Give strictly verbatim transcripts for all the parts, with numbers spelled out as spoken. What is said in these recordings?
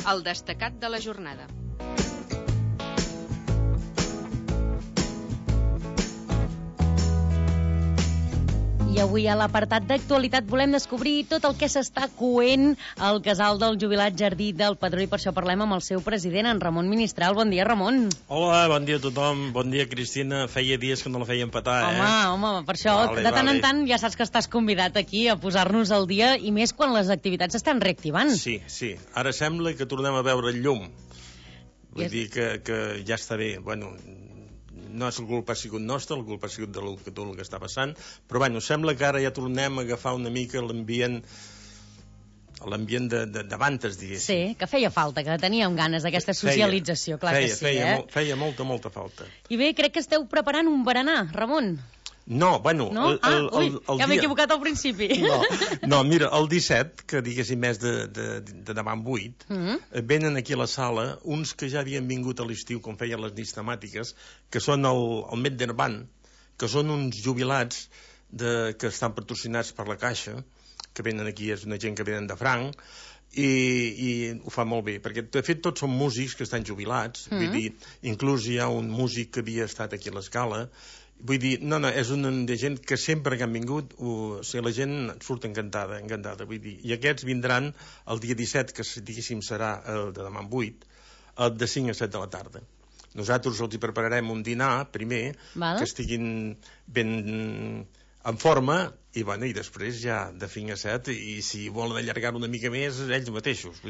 el destacat de la jornada. I avui a l'apartat d'actualitat volem descobrir tot el que s'està coent al casal del jubilat Jardí del Pedró, i per això parlem amb el seu president, en Ramon Ministral. Bon dia, Ramon. Hola, bon dia a tothom. Bon dia, Cristina. Feia dies que no la feien petar, eh? Home, home, per això vale, de tant vale. en tant ja saps que estàs convidat aquí a posar-nos al dia, i més quan les activitats s'estan reactivant. Sí, sí. Ara sembla que tornem a veure el llum. Vull I és... dir que, que ja està bé. Bueno, no és la culpa ha sigut nostra, la culpa ha sigut de tot el que està passant, però bueno, sembla que ara ja tornem a agafar una mica l'ambient l'ambient de, de, d'avantes, diguéssim. Sí, que feia falta, que teníem ganes d'aquesta socialització, clar feia, que sí, feia, eh? Molt, feia molta, molta falta. I bé, crec que esteu preparant un berenar, Ramon. No, bueno... No? El, el, ah, ui, el, el ja m'he dia... equivocat al principi. No, no, mira, el disset, que diguéssim és de, de, de demà en vuit, mm -hmm. venen aquí a la sala uns que ja havien vingut a l'estiu, com feien les nits temàtiques, que són el, el Medderban, que són uns jubilats de, que estan patrocinats per la Caixa, que venen aquí, és una gent que venen de franc, i, i ho fa molt bé, perquè de fet tots són músics que estan jubilats, mm -hmm. vull dir, inclús hi ha un músic que havia estat aquí a l'Escala. Vull dir, no, no, és una de gent que sempre que han vingut, o sigui, la gent surt encantada, encantada, vull dir. I aquests vindran el dia disset, que diguéssim serà el de demà en vuit, de cinc a set de la tarda. Nosaltres els hi prepararem un dinar, primer, Val. que estiguin ben en forma, i, bueno, i després ja de cinc a set, i si volen allargar una mica més, ells mateixos.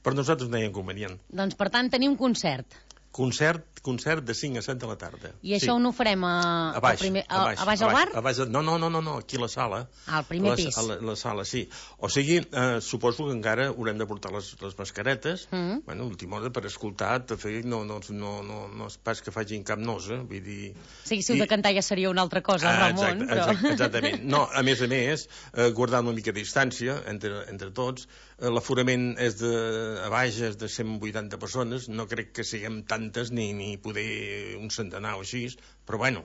Per nosaltres no hi ha inconvenient. Doncs, per tant, tenim concert. Concert, concert de cinc a set de la tarda. I això sí. on ho farem? A, a baix, primer, a, a baix, a baix al bar? A baix, no, no, no, no, no, aquí a la sala. Al primer la, pis. A la, la sala, sí. O sigui, eh, suposo que encara haurem de portar les, les mascaretes, mm -hmm. bueno, última hora per escoltar, de fet, no, no, no, no, no és pas que facin cap nosa, vull dir... Sí, si heu de cantar ja seria una altra cosa, ah, Ramon, exacte, però... exacte, exactament. No, a més a més, eh, guardant una mica de distància entre, entre tots, eh, l'aforament és de, a baix és de cent vuitanta persones, no crec que siguem tantes ni, ni poder un centenar o així, però bueno,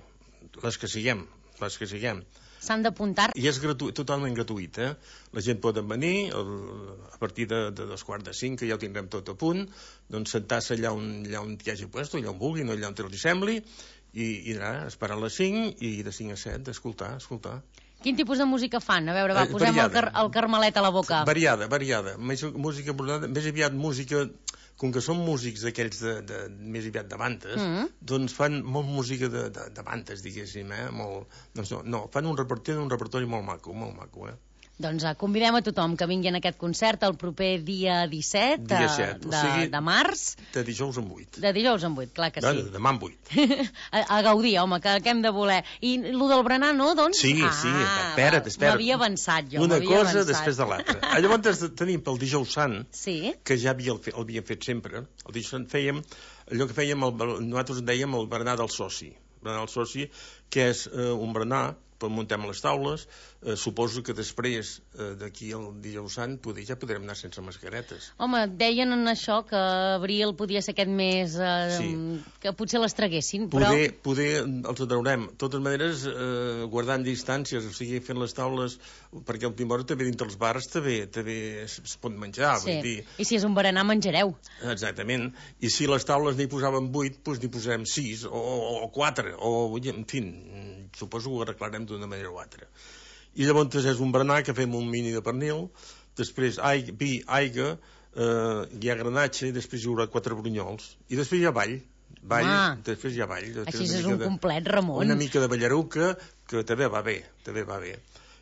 les que siguem, les que siguem. S'han d'apuntar? I és gratu totalment gratuït, eh? La gent pot venir el, a partir de, de dos quarts de cinc, que ja ho tindrem tot a punt, doncs sentar-se allà on, allà on hi hagi puesto, allà on vulgui, no allà on li sembli, i, i ara, esperar a les cinc, i de cinc a set, escoltar, escoltar. Quin tipus de música fan? A veure, va, posem el, car el carmelet a la boca. Variada, variada. Més, música, més aviat música... Com que són músics d'aquells de, de, més aviat de bandes, mm -hmm. doncs fan molt música de, de, de bandes, diguéssim, eh? Molt, doncs no, no, fan un repertori, un repertori molt maco, molt maco, eh? Doncs uh, convidem a tothom que vingui en aquest concert el proper dia disset, dia set, de, o sigui, de març. De dijous en vuit. De dijous en vuit, clar que no, sí. De demà en vuit. a, a gaudir, home, que, que hem de voler. I el del berenar, no, doncs? Sí, ah, sí, espera't, espera't. M'havia avançat jo, Una cosa avançat. després de l'altra. Llavors tenim pel dijous sant, sí. que ja havia, el havíem fet sempre, el dijous sant fèiem, allò que fèiem, el, nosaltres en dèiem el berenar del soci. Berenar del soci, que és eh, un berenar, muntem les taules, eh, suposo que després eh, d'aquí al dijous sant poder, ja podrem anar sense mascaretes. Home, deien en això que abril podia ser aquest mes eh, sí. que potser les traguessin, poder, però... Poder els traurem. De totes maneres, eh, guardant distàncies, o sigui, fent les taules, perquè al última hora també dintre els bars també, també es, es pot menjar, sí. vull dir... I si és un berenar, menjareu. Exactament. I si les taules n'hi posàvem vuit, doncs n'hi posarem sis, o, o, o quatre, o, en fi, suposo que ho arreglarem d'una manera o altra. I llavors és un berenar que fem un mini de pernil, després aigua, vi, aigua, eh, hi ha granatge, i després hi haurà quatre brunyols, i després hi ha ball, ball, ah, després hi ha ball. Així és un de, complet, Ramon. Una mica de ballaruca, que també va bé, també va bé.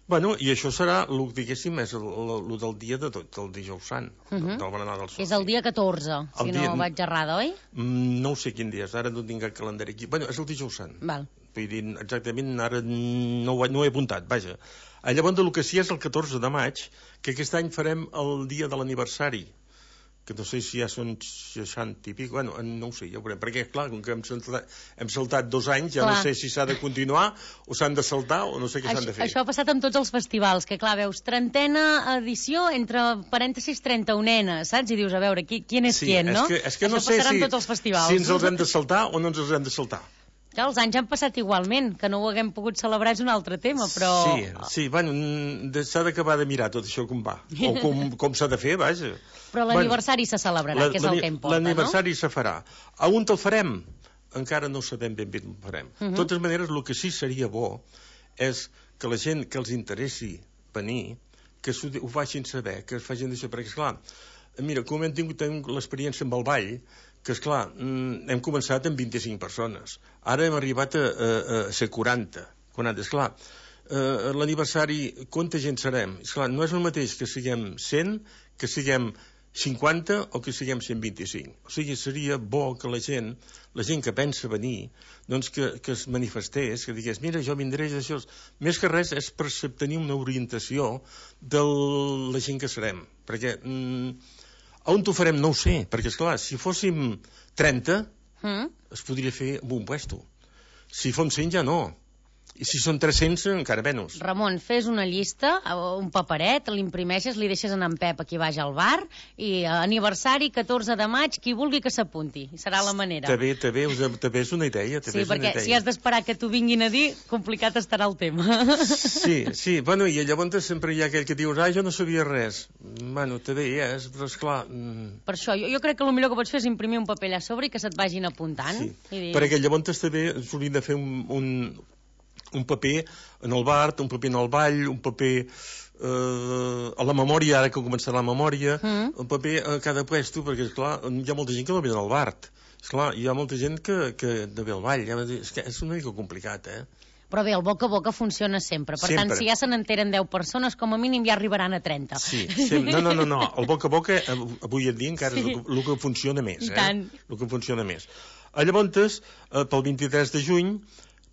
Bueno, i això serà, el, diguéssim, és el, el, el del dia de tot, el dijous sant, uh -huh. del berenar del soci. És el dia catorze, si el dia... no vaig errada, oi? No ho sé quin dia és, ara no tinc el calendari aquí. Bueno, és el dijous sant. Val. Vull dir, exactament, ara no ho, no ho he apuntat, vaja. Llavors, el que sí és el catorze de maig, que aquest any farem el dia de l'aniversari, que no sé si ja són seixanta i pico, bueno, no ho sé, ja ho veurem, perquè, clar, com que hem saltat, hem saltat dos anys, ja clar. No sé si s'ha de continuar, o s'han de saltar, o no sé què s'han de fer. Això ha passat amb tots els festivals, que, clar, veus, trentena edició, entre parèntesis, trenta-unena, saps? I dius, a veure, qui, qui és sí, qui, no? És que, és que això no sé passarà si, amb tots els festivals. si ens els hem de saltar o no ens els hem de saltar. Que els anys han passat igualment, que no ho haguem pogut celebrar és un altre tema, però... Sí, sí, bueno, s'ha d'acabar de mirar tot això com va, o com, com s'ha de fer, vaja. Però l'aniversari bueno, se celebrarà, la, que és el que importa, no? L'aniversari se farà. A on el farem? Encara no sabem ben bé com ho farem. Uh -huh. De totes maneres, el que sí seria bo és que la gent que els interessi venir, que ho facin saber, que es facin això, perquè, esclar, mira, com hem tingut l'experiència amb el ball, que, esclar, hem començat amb vint-i-cinc persones. Ara hem arribat a, a, a ser quaranta. quaranta, esclar, eh, l'aniversari, quanta gent serem? Esclar, no és el mateix que siguem cent, que siguem cinquanta o que siguem cent vint-i-cinc. O sigui, seria bo que la gent, la gent que pensa venir, doncs que, que es manifestés, que digués, mira, jo vindré d'això. Més que res és per tenir una orientació de la gent que serem. Perquè... Mm, on ho farem no ho sé, perquè, esclar, si fóssim trenta, mm. es podria fer amb un puesto. Si fom cent ja no. I si són tres-cents, encara menys. Ramon, fes una llista, un paperet, l'imprimeixes, li deixes anar en Pep aquí baix al bar, i aniversari catorze de maig, qui vulgui que s'apunti. Serà la manera. També, també, també és una idea. Sí, perquè si has d'esperar que t'ho vinguin a dir, complicat estarà el tema. Sí, sí, bueno, i llavors sempre hi ha aquell que dius, ah, jo no sabia res. Bueno, també hi és, però esclar... Mm... Per això, jo, jo crec que el millor que pots fer és imprimir un paper allà a sobre i que se't vagin apuntant. Sí, i dir... perquè llavors també s'hauria de fer un... un un paper en el bar, un paper en el ball, un paper eh, a la memòria, ara que començarà la memòria, mm. un paper a cada puesto, perquè, esclar, hi ha molta gent que no ve al bar. Esclar, hi ha molta gent que, que no ve al ball. És que és una mica complicat, eh? Però bé, el boca a boca funciona sempre. Per sempre. Tant, si ja se n'enteren deu persones, com a mínim ja arribaran a trenta. Sí, sí. No, no, no, no. El boca a boca, avui en dia, encara sí. és el, el que funciona més, eh? I tant. El que funciona més. Llavors, eh, pel vint-i-tres de juny,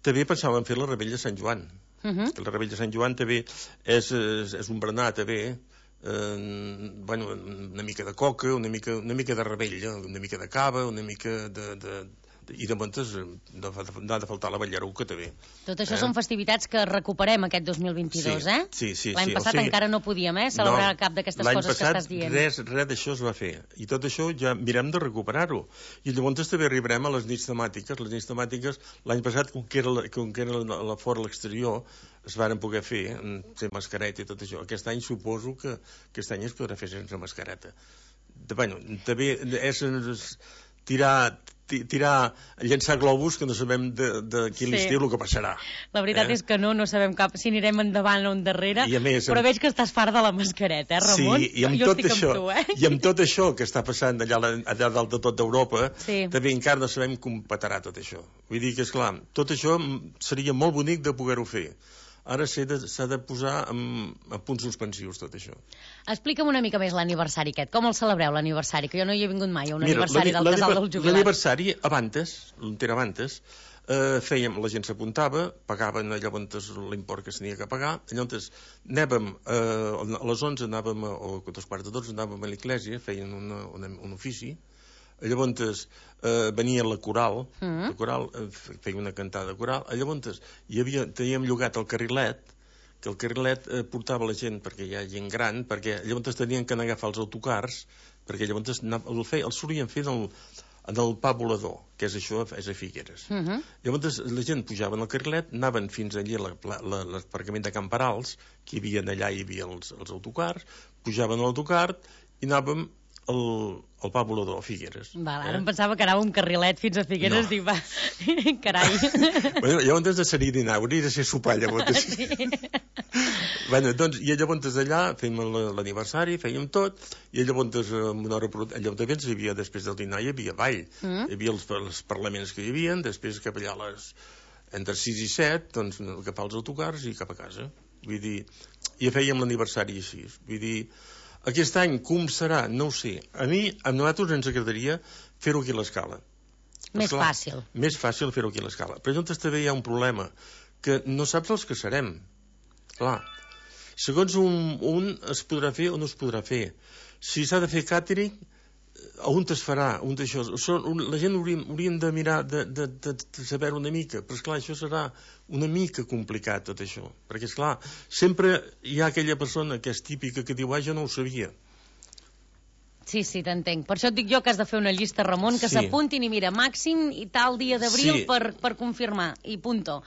també pensàvem fer la Rebella de Sant Joan. Uh -huh. La Rebella de Sant Joan també és, és, és un berenar, també, eh, bueno, una mica de coca, una mica, una mica de rebella, una mica de cava, una mica de... de i de montes n'ha de faltar la ballaruca també. Tot això eh? són festivitats que recuperem aquest dos mil vint-i-dos, sí, eh? Sí, sí, L'any sí, passat o sigui, encara no podíem eh, celebrar no, cap d'aquestes coses que estàs dient. L'any passat res, res d'això es va fer. I tot això ja mirem de recuperar-ho. I llavors també arribarem a les nits temàtiques. Les nits temàtiques, l'any passat, com que era, la, com que era la, la fora a l'exterior, es varen poder fer, fer mascareta i tot això. Aquest any suposo que aquest any es podrà fer sense mascareta. De, bueno, també és... és tirar, tirar, llençar globus que no sabem de, de quin sí. estiu el que passarà. La veritat eh? és que no, no sabem cap si anirem endavant o endarrere, més, però amb... veig que estàs fart de la mascareta, eh, Ramon? Sí, i amb, jo tot estic això, amb tu, eh? i amb tot això que està passant allà, allà dalt de tot d'Europa, sí. també encara no sabem com petarà tot això. Vull dir que, esclar, tot això seria molt bonic de poder-ho fer. Ara s'ha de, de posar en, en punts suspensius, tot això. Explica'm una mica més l'aniversari aquest. Com el celebreu, l'aniversari? Que jo no hi he vingut mai a un Mira, aniversari del casal del jubilat. L'aniversari, abans, l'entera abans, eh, fèiem, la gent s'apuntava, pagaven llavors l'import que s'havia que pagar, llavors anàvem, eh, a les onze anàvem, o a dos quarts de dotze anàvem a l'església, feien una, una, un ofici, llavors eh, venia la coral, mm. la coral eh, feia una cantada coral, llavors hi havia, teníem llogat el carrilet, que el carrilet eh, portava la gent, perquè hi ha gent gran, perquè llavors tenien que anar a agafar els autocars, perquè llavors el, feia, el solien fer en el, en el pa volador, que és això, és a Figueres. Mm -hmm. Llavors la gent pujava en el carrilet, anaven fins allà a l'aparcament de Camperals, que hi havia allà, hi havia els, els autocars, pujaven a l'autocar i anàvem el, el pa volador a Figueres. Val, ara eh? em pensava que anava un carrilet fins a Figueres, no. Dic, va, carai. Bueno, llavors has de ser dinar, hauria de ser sopar, llavors. Sí. Bueno, doncs, i llavors d'allà fèiem l'aniversari, fèiem tot, i llavors, una hora, llavors hi havia, després del dinar, hi havia ball, mm. hi havia els, els parlaments que hi havia, després cap allà a les, entre sis i set, doncs, agafar els autocars i cap a casa. Vull dir, i fèiem l'aniversari així, vull dir, aquest any, com serà? No ho sé. A mi, a nosaltres ens agradaria fer-ho aquí a l'escala. Més Esclar, fàcil. Més fàcil fer-ho aquí a l'escala. Però llavors també hi ha un problema, que no saps els que serem. Clar, segons un, un es podrà fer o no es podrà fer. Si s'ha de fer càtering, on es farà? On això? La gent hauríem, hauríem de mirar, de, de, de, de saber una mica, però esclar, això serà una mica complicat tot això, perquè esclar, sempre hi ha aquella persona que és típica que diu, ah, jo no ho sabia. Sí, sí, t'entenc. Per això et dic jo que has de fer una llista, Ramon, que s'apuntin i mira, màxim i tal dia d'abril per confirmar, i punto.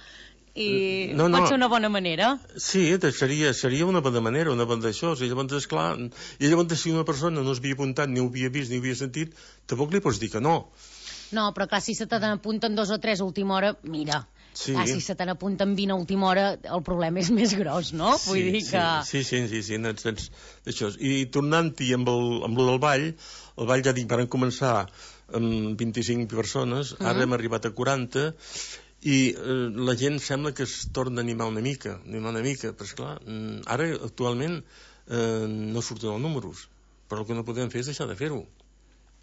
I no, no. Pot ser una bona manera. Sí, seria, seria una bona manera, una bona d'això. I llavors, esclar, i llavors si una persona no s'havia apuntat, ni ho havia vist, ni ho havia sentit, tampoc li pots dir que no. No, però clar, si se te n'apunten dos o tres a última hora, mira, sí. Clar, si se te n'apunten vint a última hora, el problema és més gros, no? Sí, Vull dir que... Sí, sí, sí, sí, no, això. I tornant-hi amb, el, amb el del ball, el ball ja dic, van començar amb vint-i-cinc persones, ara mm-hmm. hem arribat a quaranta, i eh, la gent sembla que es torna a animar una mica, animar una mica, però esclar, ara actualment eh, no surten els números, però el que no podem fer és deixar de fer-ho.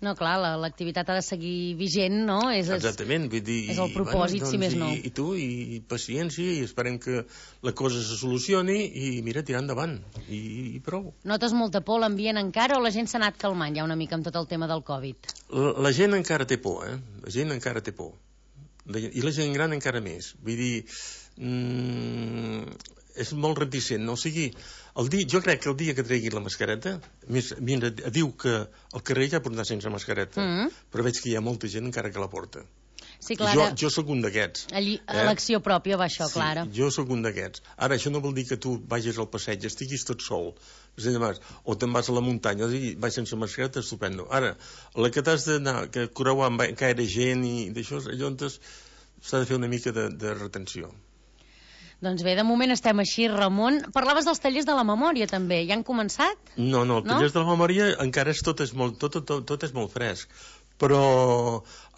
No, clar, l'activitat ha de seguir vigent, no? És, Exactament, vull dir... És el propòsit, bueno, doncs, si més no. I, I tu, i paciència, i esperem que la cosa se solucioni, i mira, tirar endavant, i, i prou. Notes molta por l'ambient encara, o la gent s'ha anat calmant ja una mica amb tot el tema del Covid? La, la gent encara té por, eh? La gent encara té por. I la gent gran encara més. Vull dir, mmm, és molt reticent, no? O sigui, el dia, jo crec que el dia que tregui la mascareta, més, mira, diu que al carrer ja pot anar sense mascareta, mm-hmm. però veig que hi ha molta gent encara que la porta. Sí, clar. Jo, jo sóc un d'aquests. Elecció eh? pròpia va això, sí, Clara. Jo sóc un d'aquests. Ara, això no vol dir que tu vagis al passeig, estiguis tot sol, o te'n vas a la muntanya, o sigui, vas sense mascareta, estupendo. Ara, la que t'has d'anar, que creuar amb gaire gent i d'això, allò s'ha de fer una mica de, de retenció. Doncs bé, de moment estem així, Ramon. Parlaves dels tallers de la memòria, també. Ja han començat? No, no, els tallers no? de la memòria encara és tot, és molt, tot, tot, tot és molt fresc. Però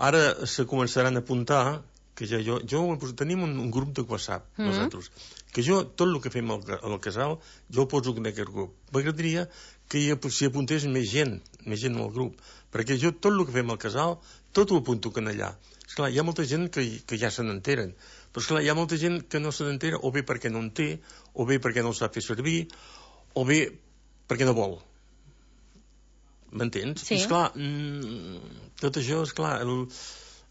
ara se començaran a apuntar, que ja jo, jo tenim un, un grup de WhatsApp, mm-hmm. nosaltres, que jo, tot el que fem al, al casal, jo ho poso en aquest grup. M'agradaria que hi, s'hi apuntés més gent, més gent al grup, perquè jo tot el que fem al casal, tot ho apunto que allà. Esclar, hi ha molta gent que, que ja se n'enteren, però esclar, hi ha molta gent que no se n'entera, o bé perquè no en té, o bé perquè no el sap fer servir, o bé perquè no vol. M'entens? Sí. I esclar, mmm, tot això, esclar, el,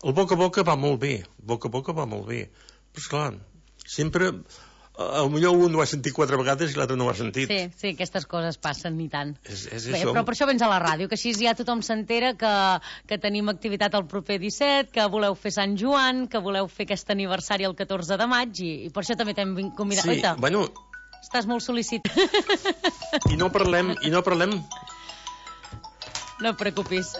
el boca a boca va molt bé, boca a boca va molt bé, però esclar, sempre... A millor un ho ha sentit quatre vegades i l'altre no ho ha sentit. Sí, sí, aquestes coses passen, ni tant. És, és Bé, això. però per això vens a la ràdio, que així ja tothom s'entera que, que tenim activitat el proper disset, que voleu fer Sant Joan, que voleu fer aquest aniversari el catorze de maig, i, i per això també t'hem convidat. Sí, Oita, bueno... Estàs molt sol·licitat. I no parlem... I no parlem... No et preocupis.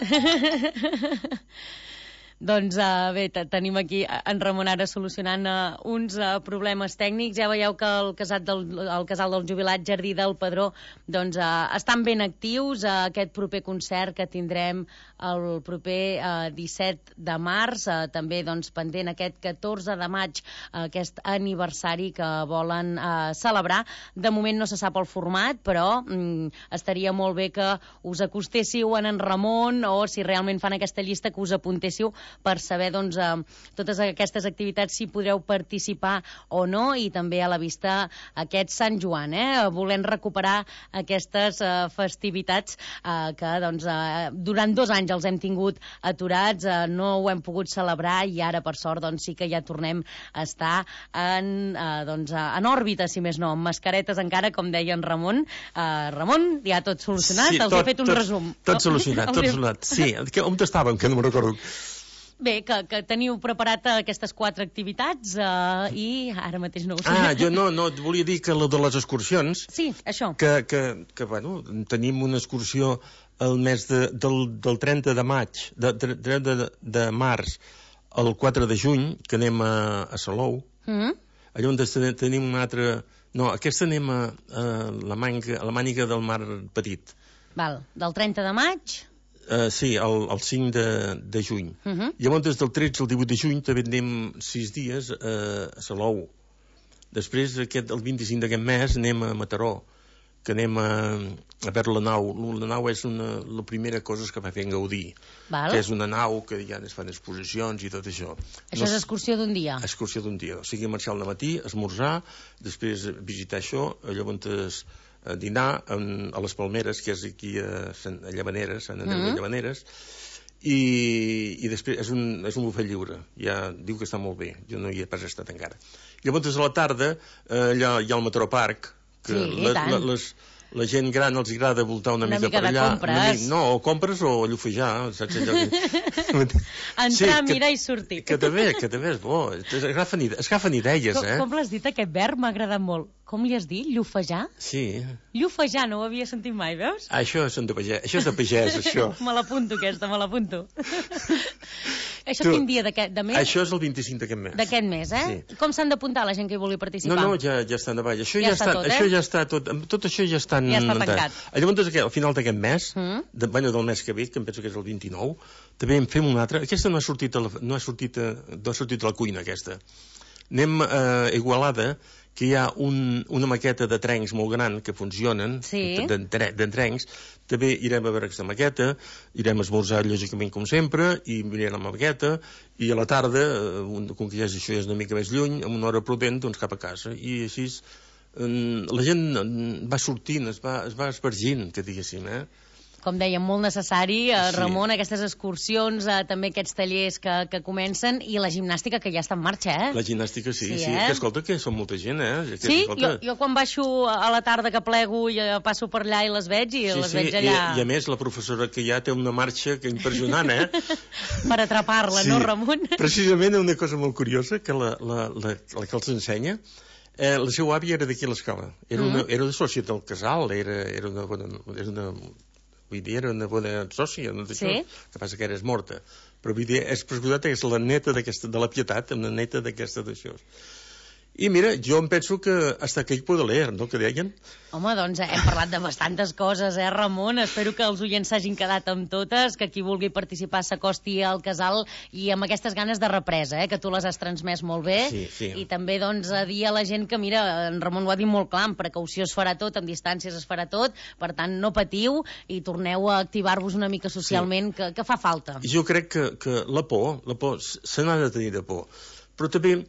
Doncs uh, bé, tenim aquí en Ramon ara solucionant uh, uns uh, problemes tècnics. Ja veieu que el casal del, el casal del jubilat Jardí del Pedró doncs, uh, estan ben actius a uh, aquest proper concert que tindrem el proper uh, disset de març, uh, també doncs, pendent aquest catorze de maig, uh, aquest aniversari que volen uh, celebrar. De moment no se sap el format, però um, estaria molt bé que us acostéssiu en en Ramon, o si realment fan aquesta llista, que us apuntéssiu per saber doncs, eh, totes aquestes activitats, si podreu participar o no, i també a la vista aquest Sant Joan, eh? Volem recuperar aquestes eh, festivitats eh, que doncs, eh, durant dos anys els hem tingut aturats, eh, no ho hem pogut celebrar, i ara per sort doncs, sí que ja tornem a estar en, eh, doncs, en òrbita, si més no, amb mascaretes encara, com deia en Ramon. Eh, Ramon, ja tot solucionat? Sí, els tot, he fet un tot, resum. Tot solucionat, tot solucionat. Sí, on estàvem, que no me'n recordo. Bé, que, que teniu preparat aquestes quatre activitats uh, i ara mateix no ho sé. Ah, jo no, no, volia dir que lo de les excursions... Sí, això. Que, que, que bueno, tenim una excursió el mes de, del, del trenta de maig, de, de, de, de març al quatre de juny, que anem a, a Salou. Mm-hmm. Allà on tenim una altra... No, aquesta anem a, a, la, manga, a la màniga del Mar Petit. Val, del trenta de maig... Uh, sí, el, el cinc de, de juny. Uh-huh. Llavors, des del tretze al divuit de juny també anem sis dies uh, a Salou. Després, aquest, el vint-i-cinc d'aquest mes, anem a Mataró, que anem a, a veure la nau. La nau és una, la primera cosa que va fer en Gaudí. Val. Que és una nau que ja es fan exposicions i tot això. Això no, és excursió d'un dia? Excursió d'un dia. O sigui, marxar al matí, esmorzar, després visitar això, llavors... a dinar en, a les Palmeres, que és aquí a, a Llavaneres, a Sant Andreu mm-hmm. de Llavaneres, i, i després és un, és un bufet lliure. Ja diu que està molt bé, jo no hi he pas estat encara. Llavors a la tarda eh, allà hi ha el Mataró Parc, que sí, les, les, la gent gran els agrada voltar una, una mica, mica per allà. De compres. Una, no, o compres o llufejar, saps allò que... Entrar, sí, mirar i sortir. Que també, que també és bo. Es agafen, es agafen idees, com, eh? Com l'has dit, aquest verb m'ha agradat molt. Com li has dit? Llufejar? Sí. Llufejar, no ho havia sentit mai, veus? Això és de pagès, això és de pagès, això. Me l'apunto, aquesta, me l'apunto. Això Tu, quin dia d'aquest de mes? Això és el vint-i-cinc d'aquest mes. D'aquest mes, eh? Sí. Com s'han d'apuntar la gent que hi vulgui participar? No, no, ja, ja està endavant. Això ja, ja està, està tot, eh? això ja està tot, tot això ja està... Ja està tancat. Llavors, al final d'aquest mes, mm. de, bueno, del mes que ve, que em penso que és el vint-i-nou, també en fem una altra. Aquesta no ha sortit a la, no ha sortit a, no ha sortit a la cuina, aquesta. Anem a Igualada, que hi ha un, una maqueta de trencs molt gran que funcionen, sí. d'entrencs. També irem a veure aquesta maqueta, irem a esmorzar lògicament com sempre, i mirem la maqueta, i a la tarda, com que ja és, això ja és una mica més lluny, amb una hora prudent, doncs cap a casa. I així la gent va sortint, es va, es va espargint, que diguéssim, eh? Com dèiem, molt necessari, eh, Ramon, sí. Aquestes excursions, eh, també aquests tallers que, que comencen, i la gimnàstica que ja està en marxa, eh? La gimnàstica, sí, sí. sí eh? Que escolta, que són molta gent, eh? Que, sí, escolta... jo, jo quan baixo a la tarda que plego i passo per allà i les veig, i sí, les sí. veig allà... I, I a més, la professora que hi ha té una marxa que impressionant, eh? Per atrapar-la, sí. No, Ramon? Precisament una cosa molt curiosa, que la, la, la, la que els ensenya, eh, la seva àvia era d'aquí a l'escola. Era, mm. una, era una sòcia del casal, era, era una... Era una vull dir, era una bona sòcia, no d'això, sí? Que passa que eres morta. Però vull dir, és pressuposat que és la neta de la Pietat, una neta d'aquesta d'això. I mira, jo em penso que hasta que hi puedo leer, no?, que deien. Home, doncs hem parlat de bastantes coses, eh, Ramon? Espero que els oients s'hagin quedat amb totes, que qui vulgui participar s'acosti al casal i amb aquestes ganes de represa, eh, que tu les has transmès molt bé. Sí, sí. I també, doncs, a dir a la gent que, mira, en Ramon ho ha dit molt clar, amb precaució es farà tot, amb distàncies es farà tot, per tant, no patiu i torneu a activar-vos una mica socialment, sí. que, que fa falta. Jo crec que, que la por, la por, se n'ha de tenir de por, però també...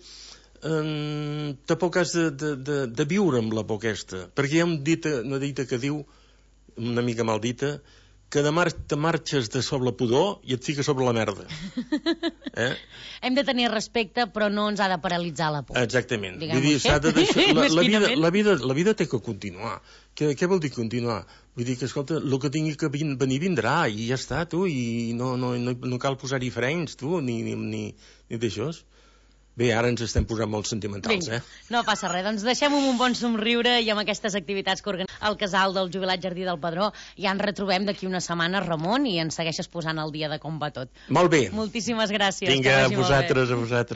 Um, tampoc has de, de, de, de viure amb la por aquesta, perquè hi ha un dita, una dita que diu, una mica mal dita, que de mar te marxes de sobre la pudor i et fiques sobre la merda. Eh? Hem de tenir respecte, però no ens ha de paralitzar la por. Exactament. Vull dir, s'ha de deixar... la, la, vida, la, vida, la vida té que continuar. Què, què vol dir continuar? Vull dir que, escolta, el que tingui que venir vindrà, i ja està, tu, i no, no, no, no cal posar-hi frens, tu, ni, ni, ni, ni d'això. Bé, ara ens estem posant molt sentimentals, Vinga, eh? No passa res, doncs deixem-ho amb un bon somriure i amb aquestes activitats que organitzem al casal del Jubilat Jardí del Pedró. Ja ens retrobem d'aquí una setmana, Ramon, i ens segueixes posant al dia de com va tot. Molt bé. Moltíssimes gràcies. Vinga, a vosaltres, a vosaltres.